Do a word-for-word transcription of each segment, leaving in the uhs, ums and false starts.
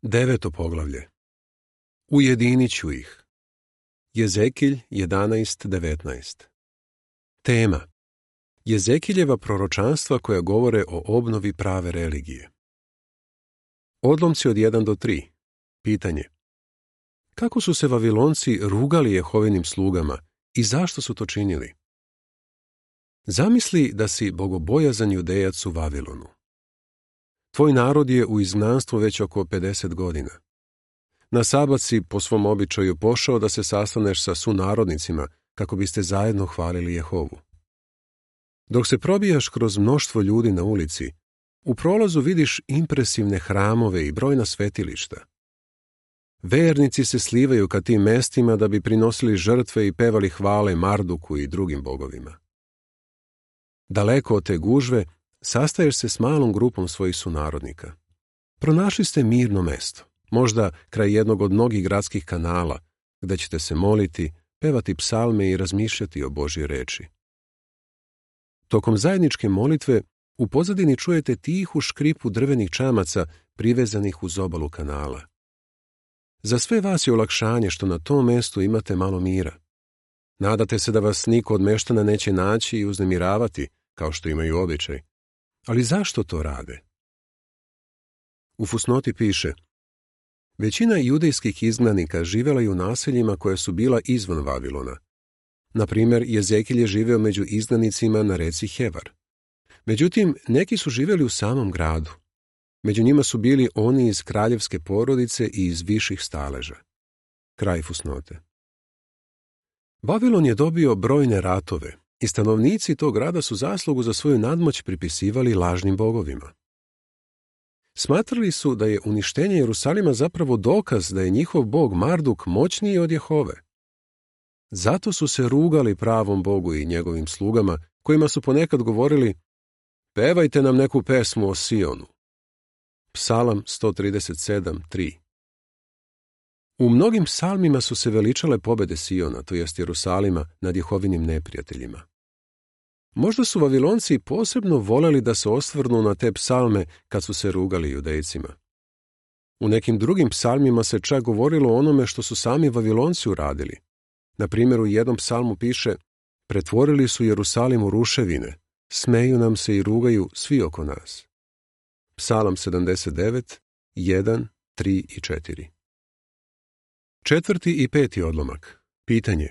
Deveto poglavlje. Ujedinit ću ih. Jezekilj jedanaest devetnaest. Tema. Jezekiljeva proročanstva koja govore o obnovi prave religije. Odlomci od jedan do tri. Pitanje. Kako su se Vavilonci rugali Jehovinim slugama i zašto su to činili? Zamisli da si bogobojazan Judejac u Vavilonu. Tvoj narod je u izgnanstvu već oko pedeset godina. Na sabat si po svom običaju pošao da se sastaneš sa sunarodnicima kako biste zajedno hvalili Jehovu. Dok se probijaš kroz mnoštvo ljudi na ulici, u prolazu vidiš impresivne hramove i brojna svetilišta. Vernici se slivaju ka tim mestima da bi prinosili žrtve i pevali hvale Marduku i drugim bogovima. Daleko od te gužve sastaješ se s malom grupom svojih sunarodnika. Pronašli ste mirno mesto, možda kraj jednog od mnogih gradskih kanala, gde ćete se moliti, pevati psalme i razmišljati o Božjoj reči. Tokom zajedničke molitve u pozadini čujete tihu škripu drvenih čamaca privezanih uz obalu kanala. Za sve vas je olakšanje što na tom mestu imate malo mira. Nadate se da vas niko od meštana neće naći i uznemiravati, kao što imaju običaj. Ali zašto to rade? U fusnoti piše: većina judejskih izgnanika živela je u naseljima koja su bila izvan Vavilona. Na primjer, Jezekilj je živeo među izgnanicima na reci Hevar. Međutim, neki su živjeli u samom gradu. Među njima su bili oni iz kraljevske porodice i iz viših staleža. Kraj fusnote. Vavilon je dobio brojne ratove i stanovnici tog grada su zaslugu za svoju nadmoć pripisivali lažnim bogovima. Smatrali su da je uništenje Jerusalima zapravo dokaz da je njihov bog Marduk moćniji od Jehove. Zato su se rugali pravom Bogu i njegovim slugama, kojima su ponekad govorili: pevajte nam neku pesmu o Sionu. Psalam sto trideset sedam tri. U mnogim psalmima su se veličale pobede Siona, to jest Jerusalima, nad Jehovinim neprijateljima. Možda su Vavilonci posebno voleli da se osvrnu na te psalme kad su se rugali Judejcima. U nekim drugim psalmima se čak govorilo o onome što su sami Vavilonci uradili. Na primjer, u jednom psalmu piše: pretvorili su Jerusalim u ruševine, smeju nam se i rugaju svi oko nas. Psalam sedamdeset devet, jedan, tri i četiri. Četvrti i peti odlomak. Pitanje.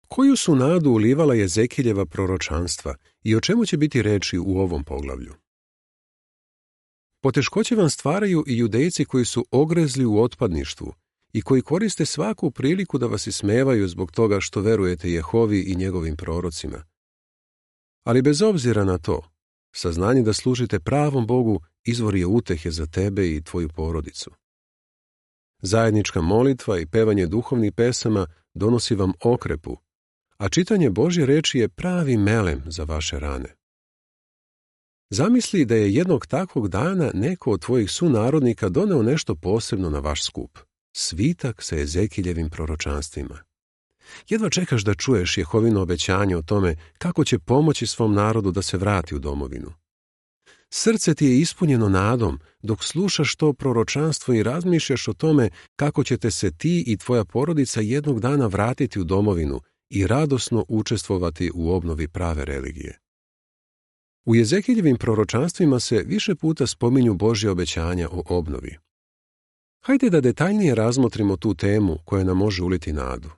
Koju su nadu ulivala Jezekiljeva proročanstva i o čemu će biti reči u ovom poglavlju? Poteškoće vam stvaraju i Judejci koji su ogrezli u otpadništvu i koji koriste svaku priliku da vas ismevaju zbog toga što verujete Jehovi i njegovim prorocima. Ali bez obzira na to, saznanje da služite pravom Bogu izvor je utehe za tebe i tvoju porodicu. Zajednička molitva i pevanje duhovnih pesama donosi vam okrepu, a čitanje Božje reči je pravi melem za vaše rane. Zamisli da je jednog takvog dana neko od tvojih sunarodnika doneo nešto posebno na vaš skup. Svitak sa Jezekiljevim proročanstvima. Jedva čekaš da čuješ Jehovino obećanje o tome kako će pomoći svom narodu da se vrati u domovinu. Srce ti je ispunjeno nadom dok slušaš to proročanstvo i razmišljaš o tome kako ćete se ti i tvoja porodica jednog dana vratiti u domovinu i radosno učestvovati u obnovi prave religije. U Jezekiljevim proročanstvima se više puta spominju Božje obećanja o obnovi. Hajde da detaljnije razmotrimo tu temu koja nam može uliti nadu.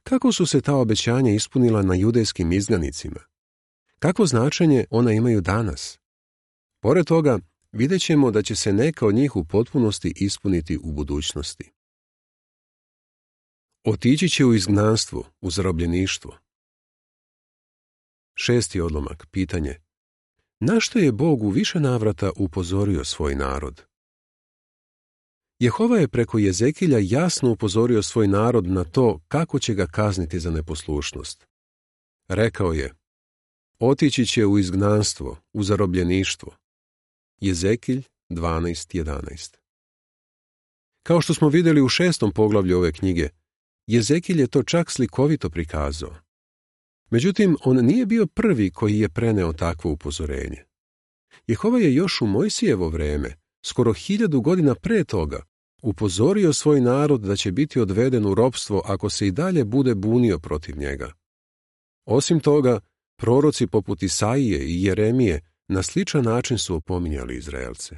Kako su se ta obećanja ispunila na judejskim izgnanicima? Kakvo značenje ona imaju danas? Pored toga, vidjet ćemo da će se neka od njih u potpunosti ispuniti u budućnosti. Otići će u izgnanstvo, u zarobljeništvo. Šesti odlomak. Pitanje. Na što je Bog u više navrata upozorio svoj narod? Jehova je preko Jezekilja jasno upozorio svoj narod na to kako će ga kazniti za neposlušnost. Rekao je: otići će u izgnanstvo, u zarobljeništvo. Jezekilj dvanaest jedanaest. Kao što smo vidjeli u šestom poglavlju ove knjige, Jezekilj je to čak slikovito prikazao. Međutim, on nije bio prvi koji je preneo takvo upozorenje. Jehova je još u Mojsijevo vreme skoro hiljadu godina pre toga, upozorio svoj narod da će biti odveden u ropstvo ako se i dalje bude bunio protiv njega. Osim toga, proroci poput Isaije i Jeremije na sličan način su opominjali Izraelce.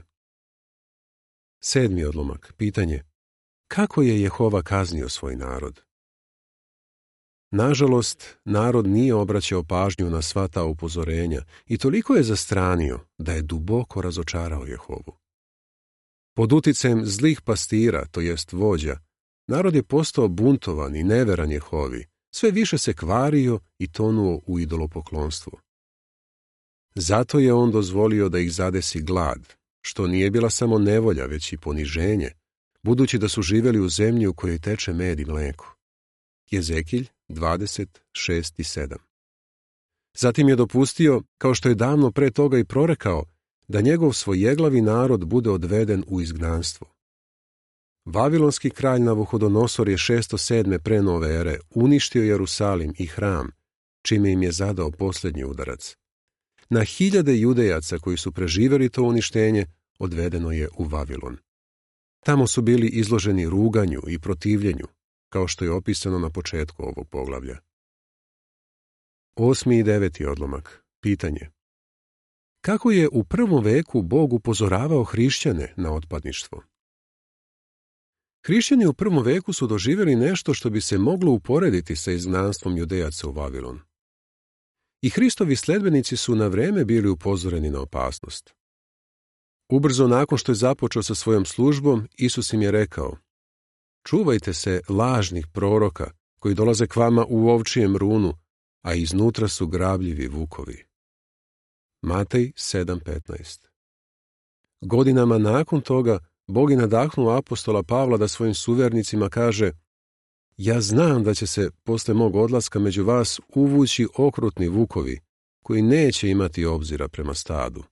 Sedmi odlomak. Pitanje. Kako je Jehova kaznio svoj narod? Nažalost, narod nije obraćao pažnju na sva ta upozorenja i toliko je zastranio da je duboko razočarao Jehovu. Pod uticajem zlih pastira, to jest vođa, narod je postao buntovan i neveran Jehovi, sve više se kvario i tonuo u idolopoklonstvu. Zato je on dozvolio da ih zadesi glad, što nije bila samo nevolja, već i poniženje, budući da su živjeli u zemlji u kojoj teče med i mleko. Jezekilj dvadeset šest i sedam. Zatim je dopustio, kao što je davno pre toga i prorekao, da njegov svojeglavi narod bude odveden u izgnanstvo. Vavilonski kralj Navuhodonosor je šesto sedme pre nove ere uništio Jerusalim i hram, čime im je zadao posljednji udarac. Na hiljade Judejaca koji su preživjeli to uništenje odvedeno je u Vavilon. Tamo su bili izloženi ruganju i protivljenju, kao što je opisano na početku ovog poglavlja. Osmi i deveti odlomak. Pitanje. Kako je u prvom veku Bog upozoravao hrišćane na otpadništvo? Hrišćani u prvom veku su doživjeli nešto što bi se moglo uporediti sa izgnanstvom Judejaca u Vavilon. I Hristovi sledbenici su na vreme bili upozoreni na opasnost. Ubrzo nakon što je započeo sa svojom službom, Isus im je rekao: čuvajte se lažnih proroka koji dolaze k vama u ovčijem runu, a iznutra su grabljivi vukovi. Matej sedam petnaest. Godinama nakon toga Bog je nadahnuo apostola Pavla da svojim suvernicima kaže: ja znam da će se posle mog odlaska među vas uvući okrutni vukovi, koji neće imati obzira prema stadu.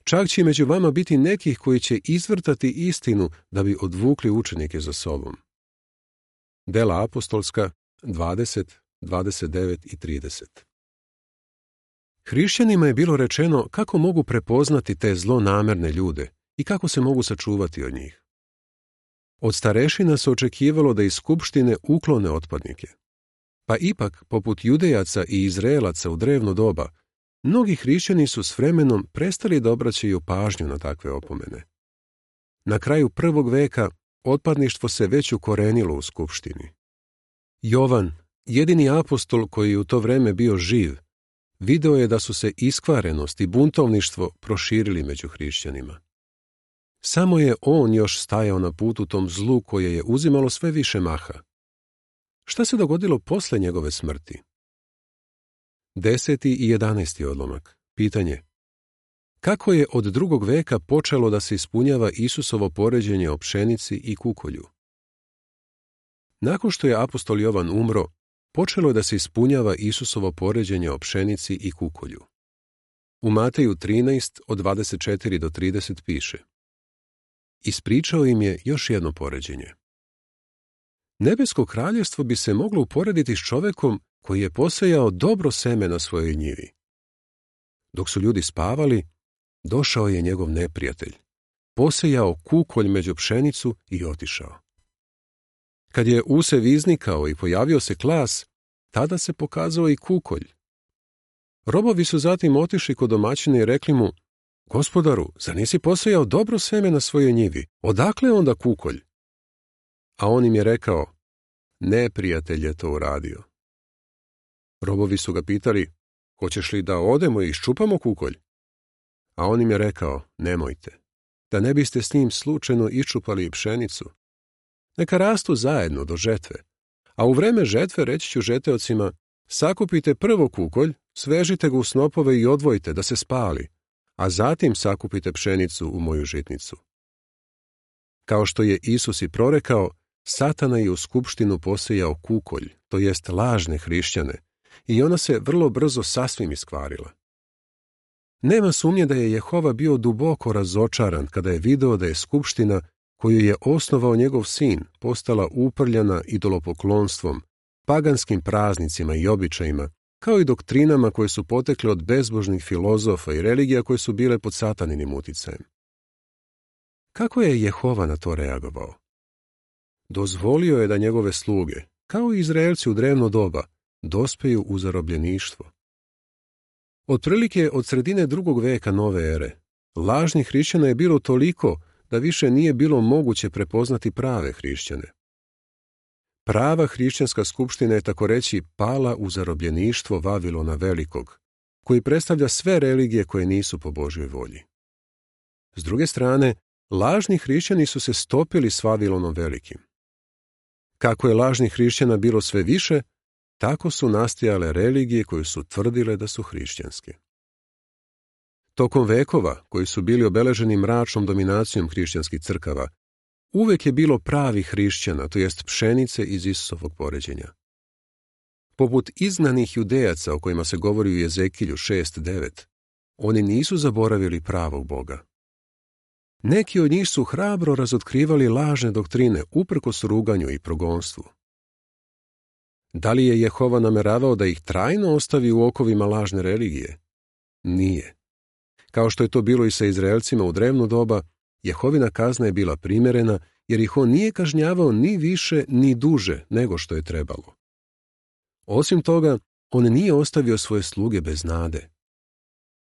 Čak će među vama biti nekih koji će izvrtati istinu da bi odvukli učenike za sobom. Dela apostolska dvadeset, dvadeset devet i trideset. Hrišćanima je bilo rečeno kako mogu prepoznati te zlonamerne ljude i kako se mogu sačuvati od njih. Od starešina se očekivalo da iz skupštine uklone otpadnike. Pa ipak, poput Judejaca i Izraelaca u drevno doba, mnogi hrišćani su s vremenom prestali da obraćaju pažnju na takve opomene. Na kraju prvog veka otpadništvo se već ukorenilo u skupštini. Jovan, jedini apostol koji je u to vreme bio živ, video je da su se iskvarenost i buntovništvo proširili među hrišćanima. Samo je on još stajao na putu tom zlu koje je uzimalo sve više maha. Šta se dogodilo posle njegove smrti? Deseti i jedanaesti odlomak. Pitanje. Kako je od drugog veka počelo da se ispunjava Isusovo poređenje o pšenici i kukolju? Nakon što je apostol Jovan umro, počelo je da se ispunjava Isusovo poređenje o pšenici i kukolju. U Mateju trinaest od dvadeset četiri do trideset piše: ispričao im je još jedno poređenje. Nebesko kraljevstvo bi se moglo uporediti s čovekom koji je posejao dobro seme na svojoj njivi. Dok su ljudi spavali, došao je njegov neprijatelj, posejao kukolj među pšenicu i otišao. Kad je usev iznikao i pojavio se klas, tada se pokazao i kukolj. Robovi su zatim otišli kod domaćina i rekli mu: gospodaru, zar nisi posejao dobro seme na svojoj njivi? Odakle onda kukolj? A on im je rekao: neprijatelj je to uradio. Robovi su ga pitali: hoćeš li da odemo i iščupamo kukolj? A on im je rekao: nemojte, da ne biste s njim slučajno iščupali pšenicu. Neka rastu zajedno do žetve, a u vreme žetve reći ću žeteocima: sakupite prvo kukolj, svežite ga u snopove i odvojite da se spali, a zatim sakupite pšenicu u moju žitnicu. Kao što je Isus i prorekao, Satana je u skupštinu posejao kukolj, to jest lažne hrišćane, i ona se vrlo brzo sasvim iskvarila. Nema sumnje da je Jehova bio duboko razočaran kada je video da je skupština koju je osnovao njegov sin postala uprljana idolopoklonstvom, paganskim praznicima i običajima, kao i doktrinama koje su potekle od bezbožnih filozofa i religija koje su bile pod sataninim uticajem. Kako je Jehova na to reagovao? Dozvolio je da njegove sluge, kao i Izraelci u drevno doba, dospeju u zarobljeništvo. Otprilike od sredine drugog veka nove ere, lažnih hrišćana je bilo toliko da više nije bilo moguće prepoznati prave hrišćane. Prava hrišćanska skupština je tako reći pala u zarobljeništvo Vavilona Velikog, koji predstavlja sve religije koje nisu po Božjoj volji. S druge strane, lažni hrišćani su se stopili s Vavilonom Velikim. Kako je lažnih hrišćana bilo sve više, tako su nastajale religije koje su tvrdile da su hrišćanske. Tokom vekova, koji su bili obeleženi mračnom dominacijom hrišćanskih crkava, uvek je bilo pravih hrišćana, to jest pšenice iz Isusovog poređenja. Poput izgnanih Judejaca o kojima se govori u Jezekilju šest devet, oni nisu zaboravili pravog Boga. Neki od njih su hrabro razotkrivali lažne doktrine uprkos ruganju i progonstvu. Da li je Jehova nameravao da ih trajno ostavi u okovima lažne religije? Nije. Kao što je to bilo i sa Izraelcima u drevno doba, Jehovina kazna je bila primjerena jer ih on nije kažnjavao ni više ni duže nego što je trebalo. Osim toga, on nije ostavio svoje sluge bez nade.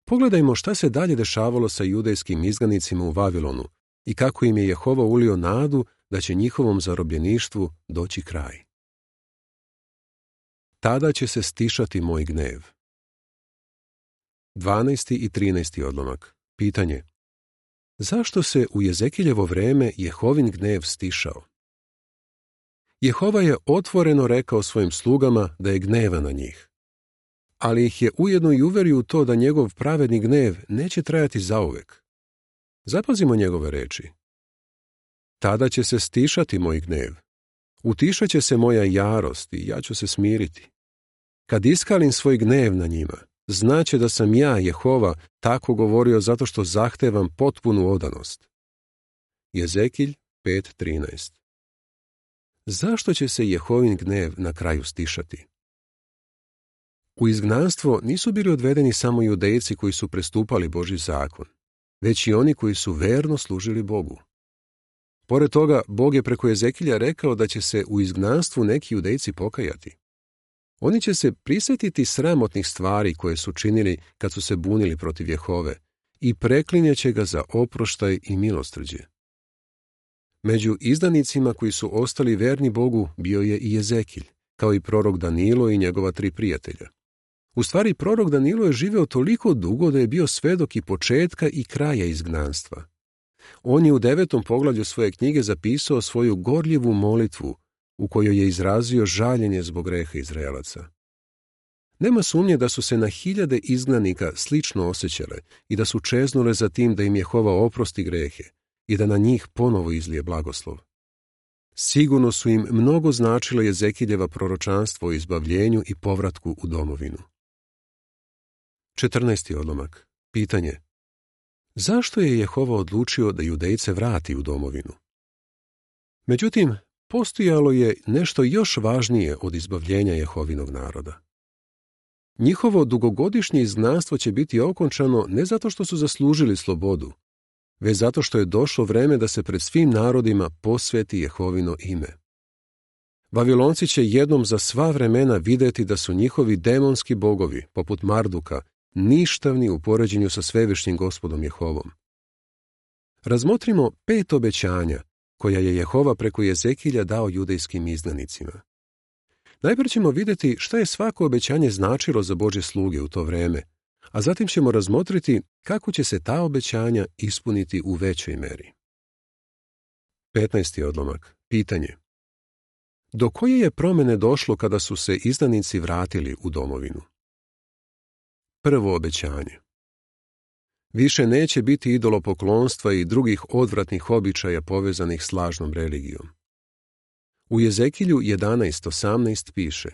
Pogledajmo šta se dalje dešavalo sa judejskim izgnanicima u Vavilonu i kako im je Jehova ulio nadu da će njihovom zarobljeništvu doći kraj. Tada će se stišati moj gnev. dvanaesti i trinaesti odlomak. Pitanje. Zašto se u Jezekiljevo vreme Jehovin gnev stišao? Jehova je otvoreno rekao svojim slugama da je gneva na njih, ali ih je ujedno i uverio u to da njegov pravedni gnev neće trajati zauvek. Zapazimo njegove reči. Tada će se stišati moj gnev. Utišat će se moja jarost i ja ću se smiriti. Kad iskalim svoj gnev na njima, znaće da sam ja, Jehova, tako govorio zato što zahtevam potpunu odanost. Jezekilj pet trinaest. Zašto će se Jehovin gnev na kraju stišati? U izgnanstvo nisu bili odvedeni samo Judejci koji su prestupali Božji zakon, već i oni koji su verno služili Bogu. Pored toga, Bog je preko Jezekilja rekao da će se u izgnanstvu neki Judejci pokajati. Oni će se prisjetiti sramotnih stvari koje su činili kad su se bunili protiv Jehove i preklinjaće ga za oproštaj i milosrđe. Među izdanicima koji su ostali verni Bogu bio je i Jezekilj, kao i prorok Danilo i njegova tri prijatelja. U stvari, prorok Danilo je živeo toliko dugo da je bio svedok i početka i kraja izgnanstva. On je u devetom poglavlju svoje knjige zapisao svoju gorljivu molitvu u kojoj je izrazio žaljenje zbog greha Izraelaca. Nema sumnje da su se na hiljade izgnanika slično osjećale i da su čeznule za tim da im Jehova oprosti grehe i da na njih ponovo izlije blagoslov. Sigurno su im mnogo značilo Jezekiljeva proročanstvo o izbavljenju i povratku u domovinu. četrnaesti odlomak. Pitanje. Zašto je Jehova odlučio da Judejce vrati u domovinu? Međutim, postojalo je nešto još važnije od izbavljenja Jehovinog naroda. Njihovo dugogodišnje izgnanstvo će biti okončano ne zato što su zaslužili slobodu, već zato što je došlo vreme da se pred svim narodima posveti Jehovino ime. Vavilonci će jednom za sva vremena vidjeti da su njihovi demonski bogovi, poput Marduka, ništavni u poređenju sa svevišnjim Gospodom Jehovom. Razmotrimo pet obećanja koja je Jehova preko Jezekilja dao judejskim izgnanicima. Najprije ćemo vidjeti šta je svako obećanje značilo za Božje sluge u to vreme, a zatim ćemo razmotriti kako će se ta obećanja ispuniti u većoj meri. petnaesti odlomak. Pitanje. Do koje je promjene došlo kada su se izdanici vratili u domovinu? Prvo obećanje. Više neće biti idolopoklonstva i drugih odvratnih običaja povezanih s lažnom religijom. U Jezekilju jedanaest osamnaest piše: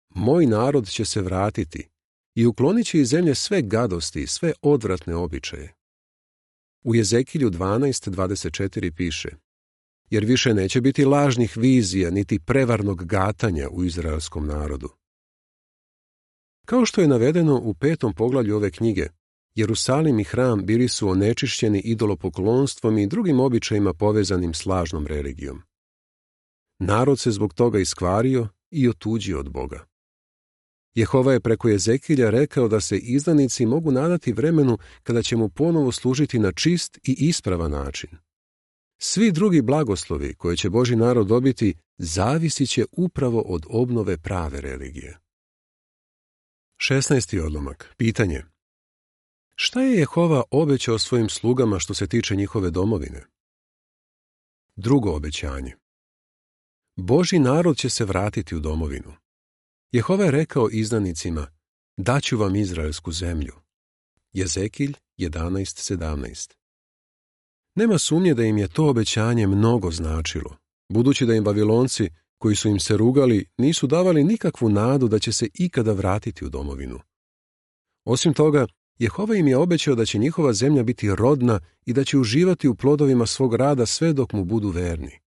Moj narod će se vratiti i uklonit će iz zemlje sve gadosti i sve odvratne običaje. U Jezekilju dvanaest dvadeset četiri piše: Jer više neće biti lažnih vizija niti prevarnog gatanja u izraelskom narodu. Kao što je navedeno u petom poglavlju ove knjige, Jerusalim i hram bili su onečišćeni idolopoklonstvom i drugim običajima povezanim s lažnom religijom. Narod se zbog toga iskvario i otuđio od Boga. Jehova je preko Jezekilja rekao da se izdanici mogu nadati vremenu kada će mu ponovo služiti na čist i ispravan način. Svi drugi blagoslovi koje će Božji narod dobiti zavisit će upravo od obnove prave religije. šesnaesti odlomak. Pitanje. Šta je Jehova obećao svojim slugama što se tiče njihove domovine? Drugo obećanje. Božji narod će se vratiti u domovinu. Jehova je rekao izdanicima, daću vam izraelsku zemlju. Jezekilj jedanaest sedamnaest. Nema sumnje da im je to obećanje mnogo značilo, budući da im Babilonci, koji su im se rugali, nisu davali nikakvu nadu da će se ikada vratiti u domovinu. Osim toga, Jehova im je obećao da će njihova zemlja biti rodna i da će uživati u plodovima svog rada sve dok mu budu verni.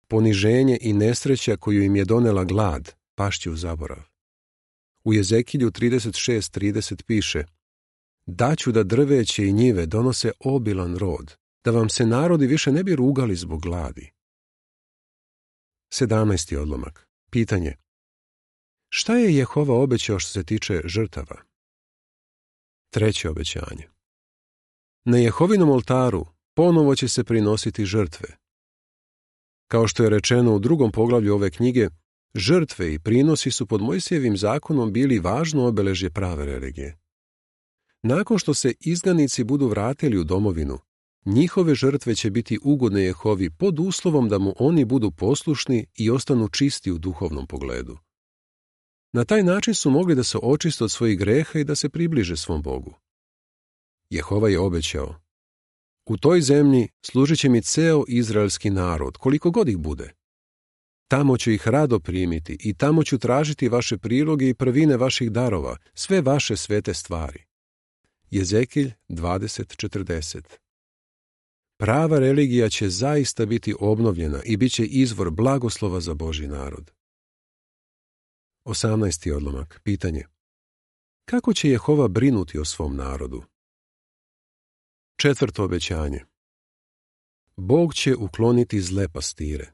Poniženje i nesreća koju im je donela glad pašće u zaborav. U Jezekilju trideset šest trideset piše: daću da drveće i njive donose obilan rod, da vam se narodi više ne bi rugali zbog gladi. sedamnaesti odlomak. Pitanje. Šta je Jehova obećao što se tiče žrtava? Treće obećanje. Na Jehovinom oltaru ponovo će se prinositi žrtve. Kao što je rečeno u drugom poglavlju ove knjige, žrtve i prinosi su pod Mojsijevim zakonom bili važno obeležje prave religije. Nakon što se izganici budu vratili u domovinu, njihove žrtve će biti ugodne Jehovi pod uslovom da mu oni budu poslušni i ostanu čisti u duhovnom pogledu. Na taj način su mogli da se očiste od svojih greha i da se približe svom Bogu. Jehova je obećao: u toj zemlji služit će mi ceo izraelski narod, koliko god ih bude. Tamo ću ih rado primiti i tamo ću tražiti vaše priloge i prvine vaših darova, sve vaše svete stvari. Jezekilj dvadeset četrdeset. Prava religija će zaista biti obnovljena i bit će izvor blagoslova za Božji narod. osamnaesti odlomak. Pitanje. Kako će Jehova brinuti o svom narodu? Četvrto obećanje. Bog će ukloniti zle pastire.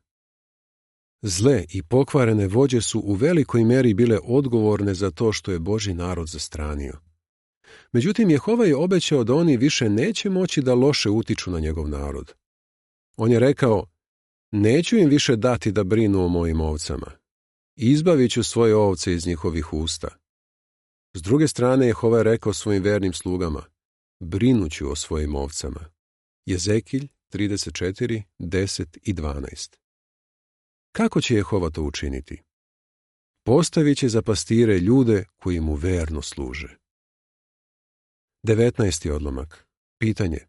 Zle i pokvarene vođe su u velikoj meri bile odgovorne za to što je Božji narod zastranio. Međutim, Jehova je obećao da oni više neće moći da loše utiču na njegov narod. On je rekao: neću im više dati da brinu o mojim ovcama. Izbavit ću svoje ovce iz njihovih usta. S druge strane, Jehova je rekao svojim vernim slugama: brinuću o svojim ovcama. Jezekilj trideset četiri deset i dvanaest. Kako će Jehova to učiniti? Postavit će za pastire ljude koji mu verno služe. devetnaesti odlomak. Pitanje.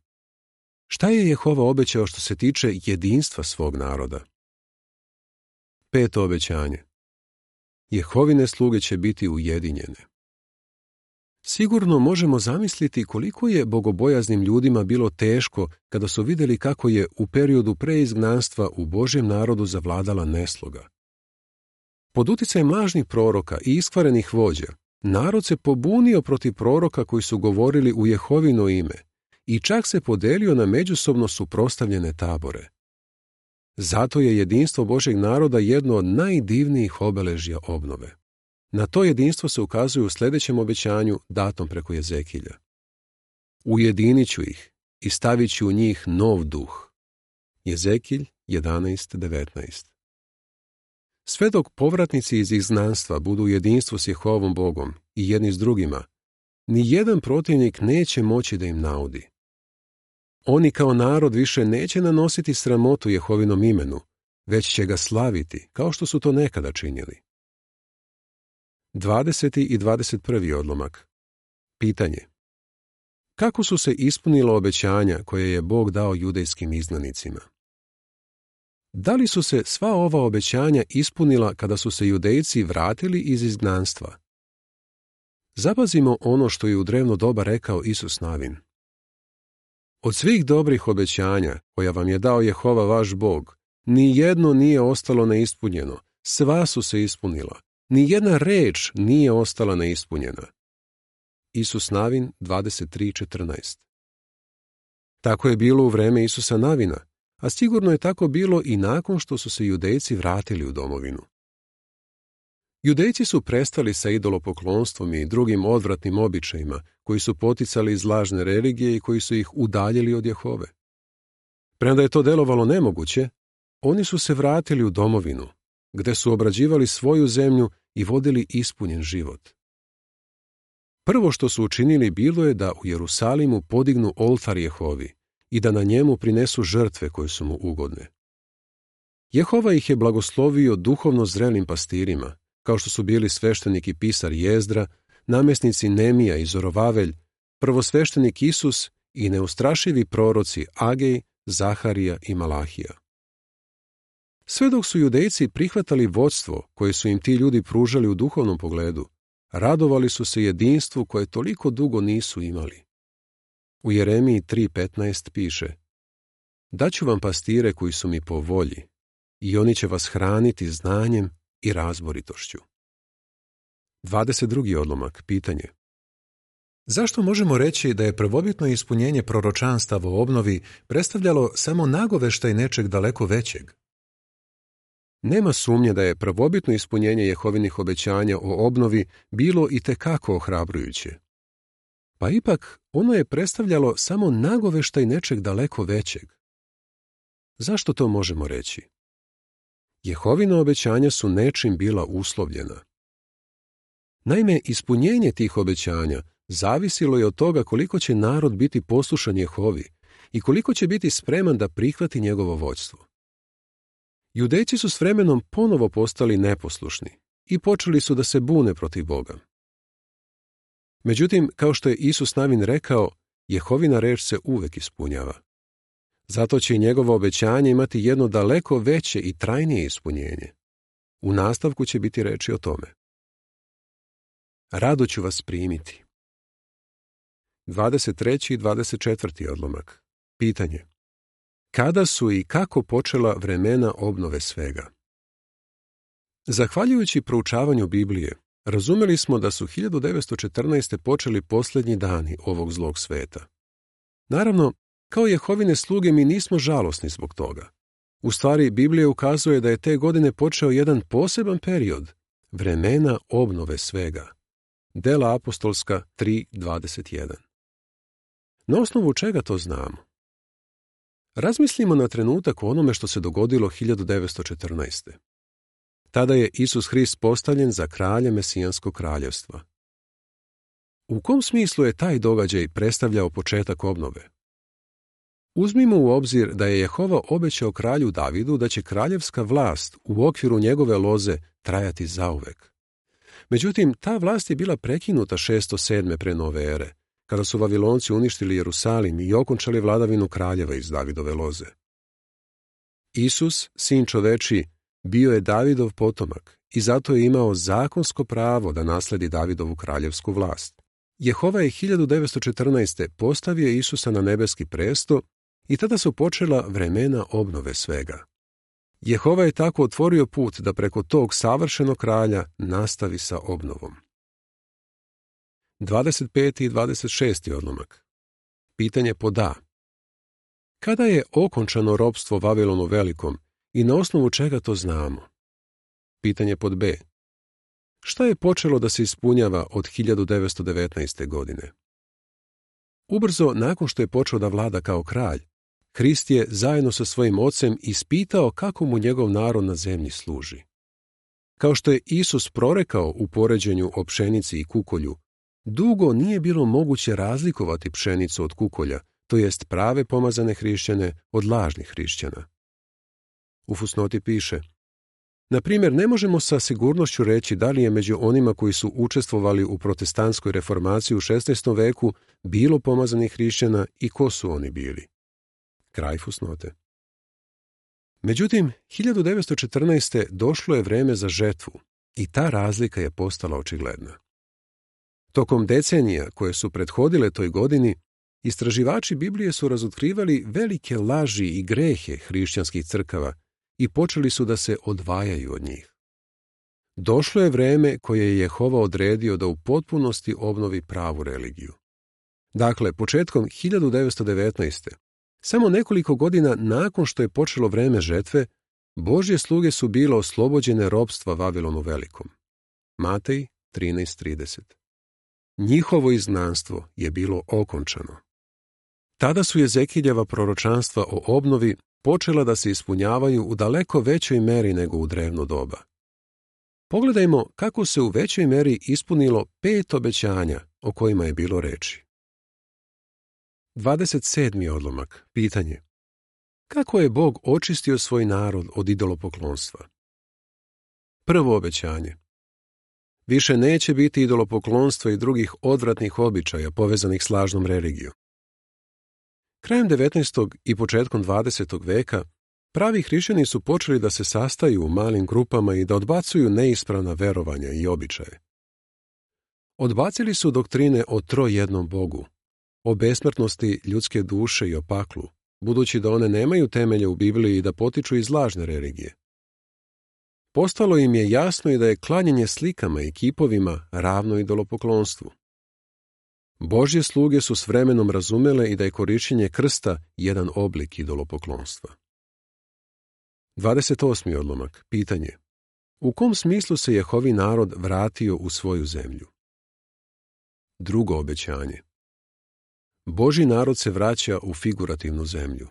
Šta je Jehova obećao što se tiče jedinstva svog naroda? Peto obećanje. Jehovine sluge će biti ujedinjene. Sigurno možemo zamisliti koliko je bogobojaznim ljudima bilo teško kada su vidjeli kako je u periodu pre izgnanstva u Božjem narodu zavladala nesloga. Pod uticajem lažnih proroka i iskvarenih vođa, narod se pobunio protiv proroka koji su govorili u Jehovino ime i čak se podelio na međusobno suprotstavljene tabore. Zato je jedinstvo Božjeg naroda jedno od najdivnijih obeležja obnove. Na to jedinstvo se ukazuje u sljedećem obećanju datom preko Jezekilja. Ujedinit ću ih i stavit ću u njih nov duh. Jezekilj jedanaest devetnaest. Sve dok povratnici iz izgnanstva budu u jedinstvu s Jehovom Bogom i jedni s drugima, ni jedan protivnik neće moći da im naudi. Oni kao narod više neće nanositi sramotu Jehovinom imenu, već će ga slaviti, kao što su to nekada činili. dvadeseti i dvadeset prvi odlomak. Pitanje. Kako su se ispunila obećanja koje je Bog dao judejskim izgnanicima? Da li su se sva ova obećanja ispunila kada su se Judejci vratili iz izgnanstva? Zapazimo ono što je u drevno doba rekao Isus Navin. Od svih dobrih obećanja koja vam je dao Jehova vaš Bog, ni jedno nije ostalo neispunjeno, sva su se ispunila. Ni jedna reč nije ostala neispunjena. Isus Navin dvadeset tri četrnaest. Tako je bilo u vreme Isusa Navina, a sigurno je tako bilo i nakon što su se Judejci vratili u domovinu. Judejci su prestali sa idolopoklonstvom i drugim odvratnim običajima koji su poticali iz lažne religije i koji su ih udaljili od Jehove. Premda je to delovalo nemoguće, oni su se vratili u domovinu, gde su obrađivali svoju zemlju i vodili ispunjen život. Prvo što su učinili bilo je da u Jerusalimu podignu oltar Jehovi i da na njemu prinesu žrtve koje su mu ugodne. Jehova ih je blagoslovio duhovno zrelim pastirima, kao što su bili sveštenik i pisar Jezdra, namjesnici Nemija i Zorovavelj, prvosveštenik Isus i neustrašivi proroci Agej, Zaharija i Malahija. Sve dok su Judejci prihvatali vodstvo koje su im ti ljudi pružali u duhovnom pogledu, radovali su se jedinstvu koje toliko dugo nisu imali. U Jeremiji tri petnaest piše: Daću vam pastire koji su mi po volji, i oni će vas hraniti znanjem i razboritošću. dvadeset drugi odlomak, pitanje. Zašto možemo reći da je prvobitno ispunjenje proročanstava o obnovi predstavljalo samo nagoveštaj nečeg daleko većeg? Nema sumnje da je prvobitno ispunjenje Jehovinih obećanja o obnovi bilo i tekako ohrabrujuće. Pa ipak ono je predstavljalo samo nagoveštaj nečeg daleko većeg. Zašto to možemo reći? Jehovina obećanja su nečim bila uslovljena. Naime, ispunjenje tih obećanja zavisilo je od toga koliko će narod biti poslušan Jehovi i koliko će biti spreman da prihvati njegovo vođstvo. Judejci su s vremenom ponovo postali neposlušni i počeli su da se bune protiv Boga. Međutim, kao što je Isus Navin rekao, Jehovina reč se uvek ispunjava. Zato će i njegovo obećanje imati jedno daleko veće i trajnije ispunjenje. U nastavku će biti reči o tome. Rado ću vas primiti. dvadeset treći i dvadeset četvrti odlomak. Pitanje. Kada su i kako počela vremena obnove svega? Zahvaljujući proučavanju Biblije, razumeli smo da su hiljadu devetsto četrnaeste. počeli posljednji dani ovog zlog sveta. Naravno, kao Jehovine sluge mi nismo žalosni zbog toga. U stvari, Biblija ukazuje da je te godine počeo jedan poseban period, vremena obnove svega. Dela apostolska tri dvadeset jedan. Na osnovu čega to znamo? Razmislimo na trenutak o onome što se dogodilo hiljadu devetsto četrnaeste. Tada je Isus Hrist postavljen za kralja Mesijanskog kraljevstva. U kom smislu je taj događaj predstavljao početak obnove? Uzmimo u obzir da je Jehova obećao kralju Davidu da će kraljevska vlast u okviru njegove loze trajati zauvek. Međutim, ta vlast je bila prekinuta šesto sedme pre nove ere, kada su Vavilonci uništili Jerusalim i okončali vladavinu kraljeva iz Davidove loze. Isus, sin čoveči, bio je Davidov potomak i zato je imao zakonsko pravo da nasledi Davidovu kraljevsku vlast. Jehova je hiljadu devetsto četrnaeste. postavio Isusa na nebeski presto i tada su počela vremena obnove svega. Jehova je tako otvorio put da preko tog savršenog kralja nastavi sa obnovom. dvadeset peti i dvadeset šesti odlomak. Pitanje pod A. Kada je okončano ropstvo Vavilonu Velikom i na osnovu čega to znamo? Pitanje pod B. Šta je počelo da se ispunjava od hiljadu devetsto devetnaeste. godine? Ubrzo nakon što je počeo da vlada kao kralj, Hrist je zajedno sa svojim ocem ispitao kako mu njegov narod na zemlji služi. Kao što je Isus prorekao u poređenju o pšenici i kukolju, dugo nije bilo moguće razlikovati pšenicu od kukolja, to jest prave pomazane hrišćane od lažnih hrišćana. U fusnoti piše: na primjer, ne možemo sa sigurnošću reći da li je među onima koji su učestvovali u protestantskoj reformaciji u šesnaestom veku bilo pomazanih hrišćana i ko su oni bili. Kraj fusnote. Međutim, hiljadu devetsto četrnaeste. došlo je vreme za žetvu i ta razlika je postala očigledna. Tokom decenija koje su prethodile toj godini, istraživači Biblije su razotkrivali velike laži i grehe hrišćanskih crkava i počeli su da se odvajaju od njih. Došlo je vreme koje je Jehova odredio da u potpunosti obnovi pravu religiju. Dakle, početkom hiljadu devetsto devetnaeste. samo nekoliko godina nakon što je počelo vreme žetve, Božje sluge su bile oslobođene ropstva Vavilonu Velikom. Matej trinaest trideset. Njihovo izgnanstvo je bilo okončano. Tada su Jezekiljeva proročanstva o obnovi počela da se ispunjavaju u daleko većoj meri nego u drevno doba. Pogledajmo kako se u većoj meri ispunilo pet obećanja o kojima je bilo reči. dvadeset sedmi odlomak. Pitanje. Kako je Bog očistio svoj narod od idolopoklonstva? Prvo obećanje. Više neće biti idolopoklonstva i drugih odvratnih običaja povezanih s lažnom religijom. Krajem devetnaestog i početkom dvadesetog veka pravi hrišćani su počeli da se sastaju u malim grupama i da odbacuju neispravna verovanja i običaje. Odbacili su doktrine o trojednom Bogu, o besmrtnosti ljudske duše i o paklu, budući da one nemaju temelja u Bibliji i da potiču iz lažne religije. Postalo im je jasno i da je klanjanje slikama i kipovima ravno idolopoklonstvu. Božje sluge su s vremenom razumele i da je korišćenje krsta jedan oblik idolopoklonstva. dvadeset osmi odlomak. Pitanje. U kom smislu se Jehovi narod vratio u svoju zemlju? Drugo obećanje. Božji narod se vraća u figurativnu zemlju.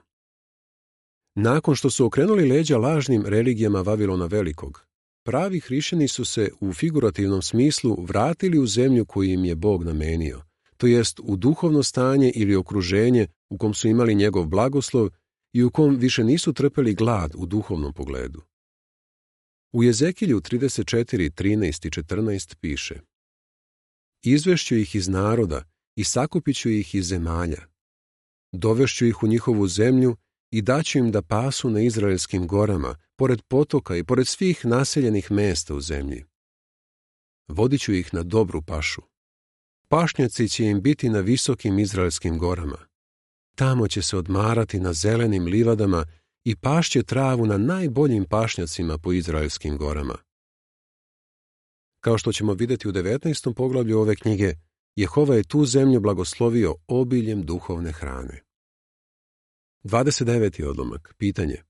Nakon što su okrenuli leđa lažnim religijama Vavilona Velikog, pravi hrišćani su se u figurativnom smislu vratili u zemlju koju im je Bog namenio, to jest u duhovno stanje ili okruženje u kom su imali njegov blagoslov i u kom više nisu trpeli glad u duhovnom pogledu. U Jezekilju trideset četiri, trinaest i četrnaest piše: Izvešću ih iz naroda i sakupit ću ih iz zemalja. Dovešću ih u njihovu zemlju i daću im da pasu na izraelskim gorama, pored potoka i pored svih naseljenih mesta u zemlji. Vodit ću ih na dobru pašu. Pašnjaci će im biti na visokim izraelskim gorama. Tamo će se odmarati na zelenim livadama i pašće travu na najboljim pašnjacima po izraelskim gorama. Kao što ćemo vidjeti u devetnaestom poglavlju ove knjige, Jehova je tu zemlju blagoslovio obiljem duhovne hrane. dvadeset deveti odlomak. Pitanje.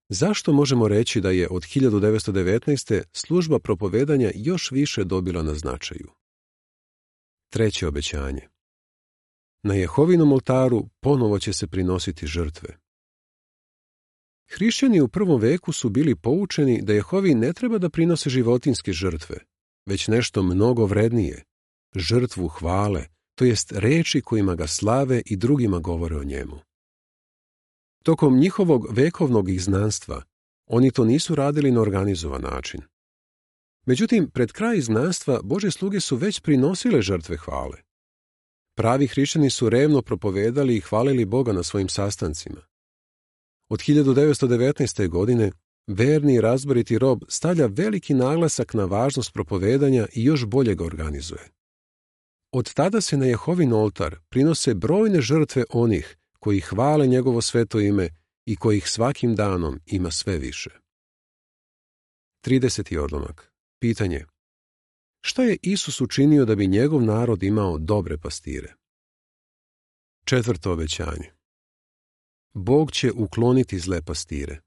Zašto možemo reći da je od hiljadu devetsto devetnaeste. služba propovedanja još više dobila na značaju? Treće obećanje. Na Jehovinom oltaru ponovo će se prinositi žrtve. Hrišćani u prvom veku su bili poučeni da Jehovi ne treba da prinose životinjske žrtve, već nešto mnogo vrednije, žrtvu hvale, to jest reči kojima ga slave i drugima govore o njemu. Tokom njihovog vekovnog izgnanstva oni to nisu radili na organizovan način. Međutim, pred kraj izgnanstva Božje sluge su već prinosile žrtve hvale. Pravi hrišćani su revno propovedali i hvalili Boga na svojim sastancima. Od hiljadu devetsto devetnaeste. godine verni i razboriti rob stavlja veliki naglasak na važnost propovedanja i još bolje ga organizuje. Od tada se na Jehovin oltar prinose brojne žrtve onih koji hvale njegovo sveto ime i kojih svakim danom ima sve više. trideseti odlomak. Pitanje. Šta je Isus učinio da bi njegov narod imao dobre pastire? Četvrto obećanje. Bog će ukloniti zle pastire.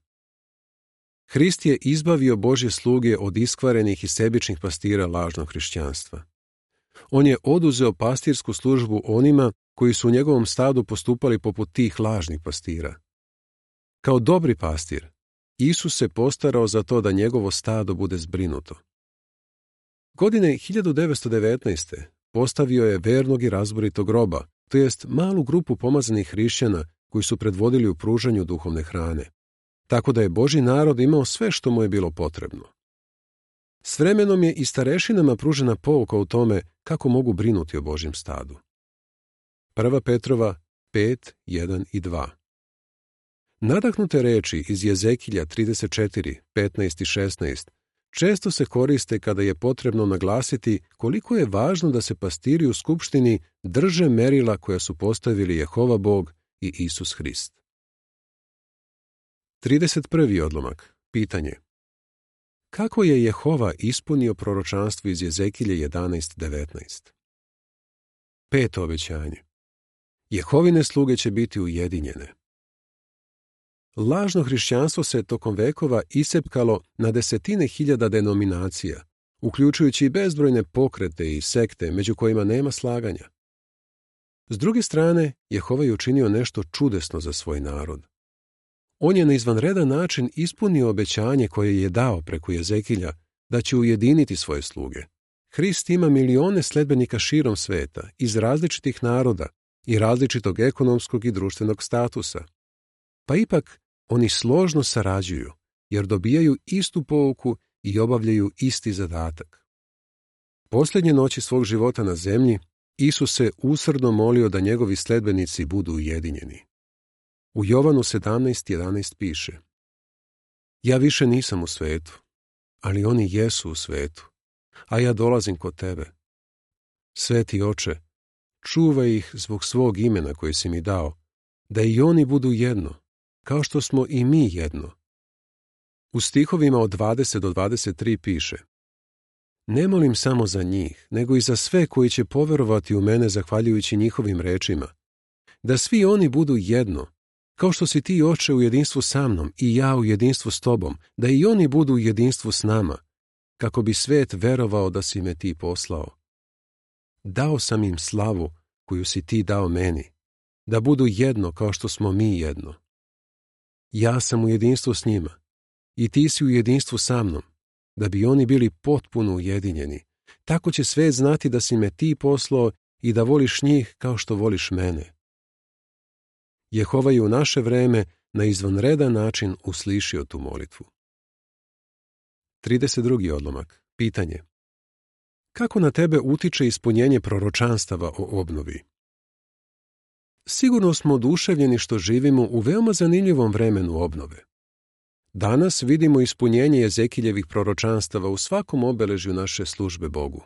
Hrist je izbavio Božje sluge od iskvarenih i sebičnih pastira lažnog hrišćanstva. On je oduzeo pastirsku službu onima koji su u njegovom stadu postupali poput tih lažnih pastira. Kao dobri pastir, Isus se postarao za to da njegovo stado bude zbrinuto. Godine hiljadu devetsto devetnaeste. postavio je vernog i razboritog roba, to jest malu grupu pomazanih hrišćana koji su predvodili u pružanju duhovne hrane, tako da je Božji narod imao sve što mu je bilo potrebno. S vremenom je i starešinama pružena pouka u tome kako mogu brinuti o Božjem stadu. Prva Petrova pet, jedan i dva. Nadahnute reči iz Jezekilja trideset četiri, petnaest i šesnaest često se koriste kada je potrebno naglasiti koliko je važno da se pastiri u skupštini drže merila koja su postavili Jehova Bog i Isus Hrist. trideset prvi odlomak. Pitanje. Kako je Jehova ispunio proročanstvo iz Jezekilja jedanaest devetnaest? Peto obećanje. Jehovine sluge će biti ujedinjene. Lažno hrišćanstvo se tokom vekova isepkalo na desetine hiljada denominacija, uključujući i bezbrojne pokrete i sekte među kojima nema slaganja. S druge strane, Jehova je učinio nešto čudesno za svoj narod. On je na izvanredan način ispunio obećanje koje je dao preko Jezekilja da će ujediniti svoje sluge. Hrist ima milione sledbenika širom sveta, iz različitih naroda i različitog ekonomskog i društvenog statusa. Pa ipak oni složno sarađuju, jer dobijaju istu pouku i obavljaju isti zadatak. Posljednje noći svog života na zemlji, Isus se usrdno molio da njegovi sledbenici budu ujedinjeni. U Jovanu sedamnaest jedanaest piše: Ja više nisam u svetu, ali oni jesu u svetu, a ja dolazim kod tebe. Sveti Oče, čuvaj ih zbog svog imena koje si mi dao, da i oni budu jedno, kao što smo i mi jedno. U stihovima od dvadeset do dvadeset tri piše: Ne molim samo za njih, nego i za sve koji će poverovati u mene zahvaljujući njihovim rečima, da svi oni budu jedno, kao što si ti, Oče, u jedinstvu sa mnom i ja u jedinstvu s tobom, da i oni budu u jedinstvu s nama, kako bi svet verovao da si me ti poslao. Dao sam im slavu koju si ti dao meni, da budu jedno kao što smo mi jedno. Ja sam u jedinstvu s njima i ti si u jedinstvu sa mnom, da bi oni bili potpuno ujedinjeni. Tako će svet znati da si me ti poslao i da voliš njih kao što voliš mene. Jehova je u naše vreme na izvanredan način uslišio tu molitvu. trideset drugi odlomak. Pitanje. Kako na tebe utiče ispunjenje proročanstava o obnovi? Sigurno smo oduševljeni što živimo u veoma zanimljivom vremenu obnove. Danas vidimo ispunjenje Jezekiljevih proročanstava u svakom obeležju naše službe Bogu.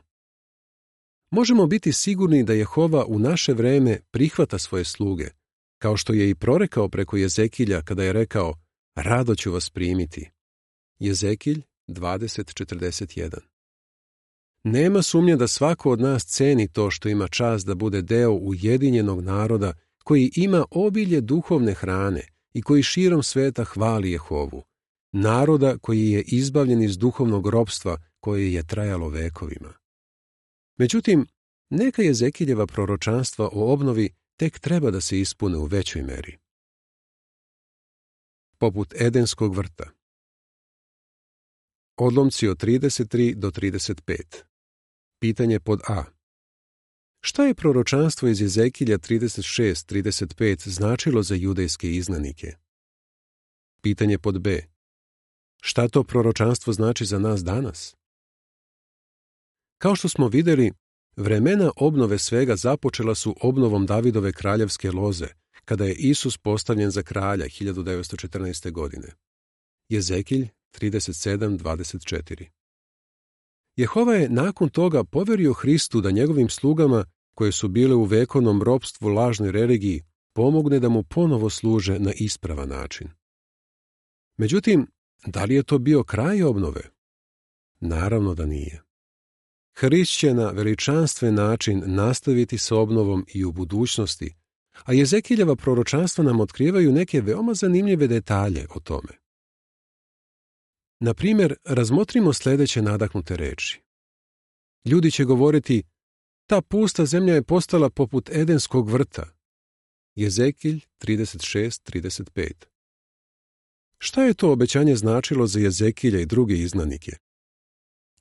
Možemo biti sigurni da Jehova u naše vreme prihvata svoje sluge, kao što je i prorekao preko Jezekilja kada je rekao: Rado ću vas primiti. Jezekilj dvadeset četrdeset jedan. Nema sumnje da svako od nas ceni to što ima čast da bude deo ujedinjenog naroda koji ima obilje duhovne hrane i koji širom sveta hvali Jehovu, naroda koji je izbavljen iz duhovnog ropstva koje je trajalo vekovima. Međutim, neka Jezekiljeva proročanstva o obnovi tek treba da se ispune u većoj meri. Poput Edenskog vrta. Odlomci od trideset tri do trideset pet. Pitanje pod A. Šta je proročanstvo iz Jezekilja trideset šest trideset pet značilo za judejske izgnanike? Pitanje pod B. Šta to proročanstvo znači za nas danas? Kao što smo vidjeli, vremena obnove svega započela su obnovom Davidove kraljevske loze, kada je Isus postavljen za kralja hiljadu devetsto četrnaeste. godine. Jezekilj trideset sedam dvadeset četiri. Jehova je nakon toga poverio Hristu da njegovim slugama, koje su bile u vekovnom ropstvu lažnoj religiji, pomogne da mu ponovo služe na ispravan način. Međutim, da li je to bio kraj obnove? Naravno da nije. Hrist će na veličanstven način nastaviti sa obnovom i u budućnosti, a Jezekiljeva proročanstva nam otkrivaju neke veoma zanimljive detalje o tome. Na primjer, razmotrimo sljedeće nadahnute reči. Ljudi će govoriti: ta pusta zemlja je postala poput Edenskog vrta. Jezekilj trideset šest trideset pet. Šta je to obećanje značilo za Jezekilja i druge izgnanike?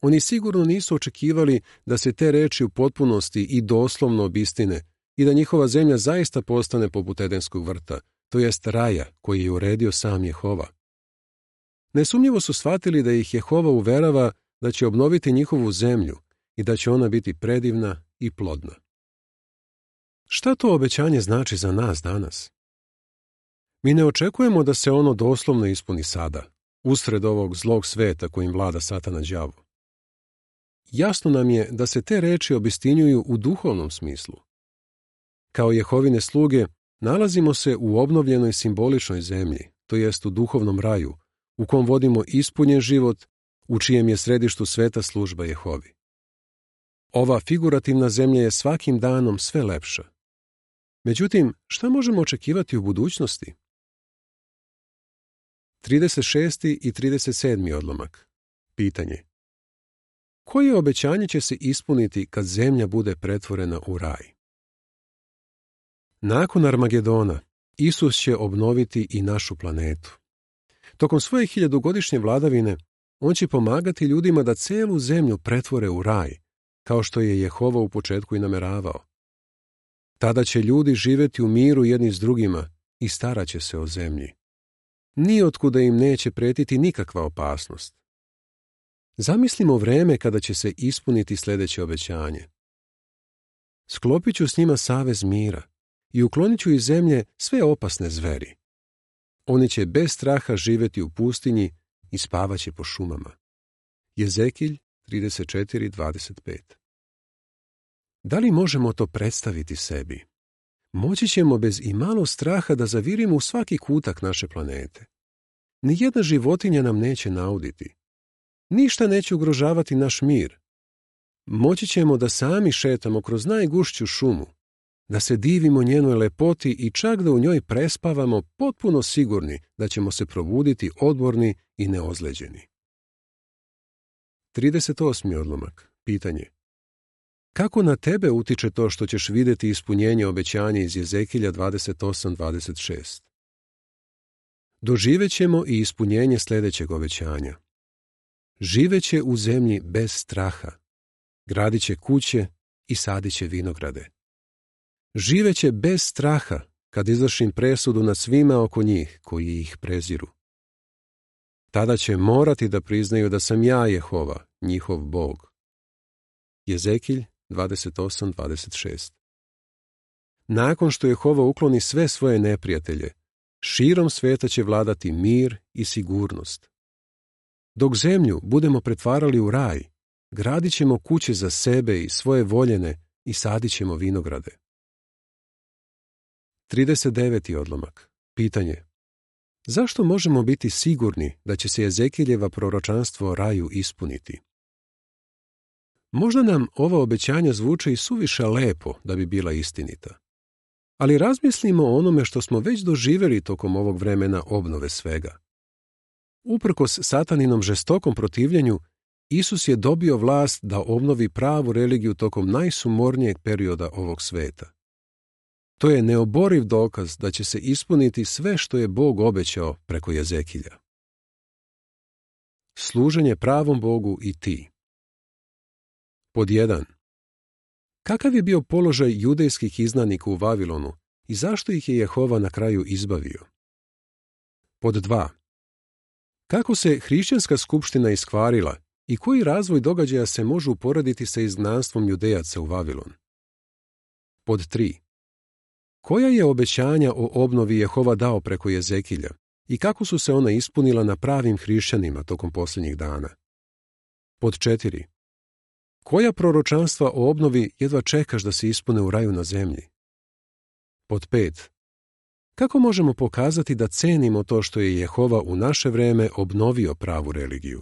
Oni sigurno nisu očekivali da se te reči u potpunosti i doslovno obistine i da njihova zemlja zaista postane poput Edenskog vrta, to jest raja koji je uredio sam Jehova. Nesumnjivo su shvatili da ih Jehova uverava da će obnoviti njihovu zemlju i da će ona biti predivna i plodna. Šta to obećanje znači za nas danas? Mi ne očekujemo da se ono doslovno ispuni sada, usred ovog zlog sveta kojim vlada Satana đavo. Jasno nam je da se te reči obistinjuju u duhovnom smislu. Kao Jehovine sluge, nalazimo se u obnovljenoj simboličnoj zemlji, to jest u duhovnom raju, u kom vodimo ispunjen život u čijem je središtu sveta služba Jehovi. Ova figurativna zemlja je svakim danom sve lepša. Međutim, šta možemo očekivati u budućnosti? trideset šesti i trideset sedmi odlomak. Pitanje. Koje obećanje će se ispuniti kad zemlja bude pretvorena u raj? Nakon Armagedona, Isus će obnoviti i našu planetu. Tokom svoje hiljadugodišnje vladavine, on će pomagati ljudima da celu zemlju pretvore u raj, kao što je Jehova u početku i nameravao. Tada će ljudi živjeti u miru jedni s drugima i starat će se o zemlji. Nijotkuda im neće pretiti nikakva opasnost. Zamislimo vreme kada će se ispuniti sljedeće obećanje. Sklopit ću s njima savez mira i uklonit ću iz zemlje sve opasne zveri. Oni će bez straha živjeti u pustinji i spavaće po šumama. Jezekilj trideset četiri dvadeset pet. Da li možemo to predstaviti sebi? Moći ćemo bez imalo straha da zavirimo u svaki kutak naše planete. Nijedna životinja nam neće nauditi. Ništa neće ugrožavati naš mir. Moći ćemo da sami šetamo kroz najgušću šumu, da se divimo njenoj lepoti i čak da u njoj prespavamo potpuno sigurni da ćemo se probuditi odmorni i neozleđeni. trideset osmi odlomak. Pitanje. Kako na tebe utiče to što ćeš vidjeti ispunjenje obećanja iz Jezekilja dvadeset osam dvadeset šest? Doživećemo i ispunjenje sljedećeg obećanja. Živeće u zemlji bez straha, gradit će kuće i sadit će vinograde. Živeće bez straha kad izvršim presudu nad svima oko njih koji ih preziru. Tada će morati da priznaju da sam ja Jehova, njihov Bog. Jezekilj dvadeset osam dvadeset šest. Nakon što Jehova ukloni sve svoje neprijatelje, širom sveta će vladati mir i sigurnost. Dok zemlju budemo pretvarali u raj, gradit ćemo kuće za sebe i svoje voljene i sadit ćemo vinograde. trideset deveti odlomak. Pitanje. Zašto možemo biti sigurni da će se Jezekiljeva proročanstvo o raju ispuniti? Možda nam ova obećanja zvuče i suviše lepo da bi bila istinita. Ali razmislimo o onome što smo već doživjeli tokom ovog vremena obnove svega. Uprkos sataninom žestokom protivljenju, Isus je dobio vlast da obnovi pravu religiju tokom najsumornijeg perioda ovog sveta. To je neoboriv dokaz da će se ispuniti sve što je Bog obećao preko Jezekilja. Služenje pravom Bogu i ti. Pod jedan. Kakav je bio položaj judejskih izgnanika u Vavilonu i zašto ih je Jehova na kraju izbavio? Pod dva. Kako se hrišćanska skupština iskvarila i koji razvoj događaja se može uporediti sa izgnanstvom Judejaca u Vavilon? Pod tri. Koja je obećanja o obnovi Jehova dao preko Jezekilja i kako su se ona ispunila na pravim hrišćanima tokom posljednjih dana? Pod četiri. Koja proročanstva o obnovi jedva čekaš da se ispune u raju na zemlji? Pod pet. Kako možemo pokazati da cenimo to što je Jehova u naše vreme obnovio pravu religiju?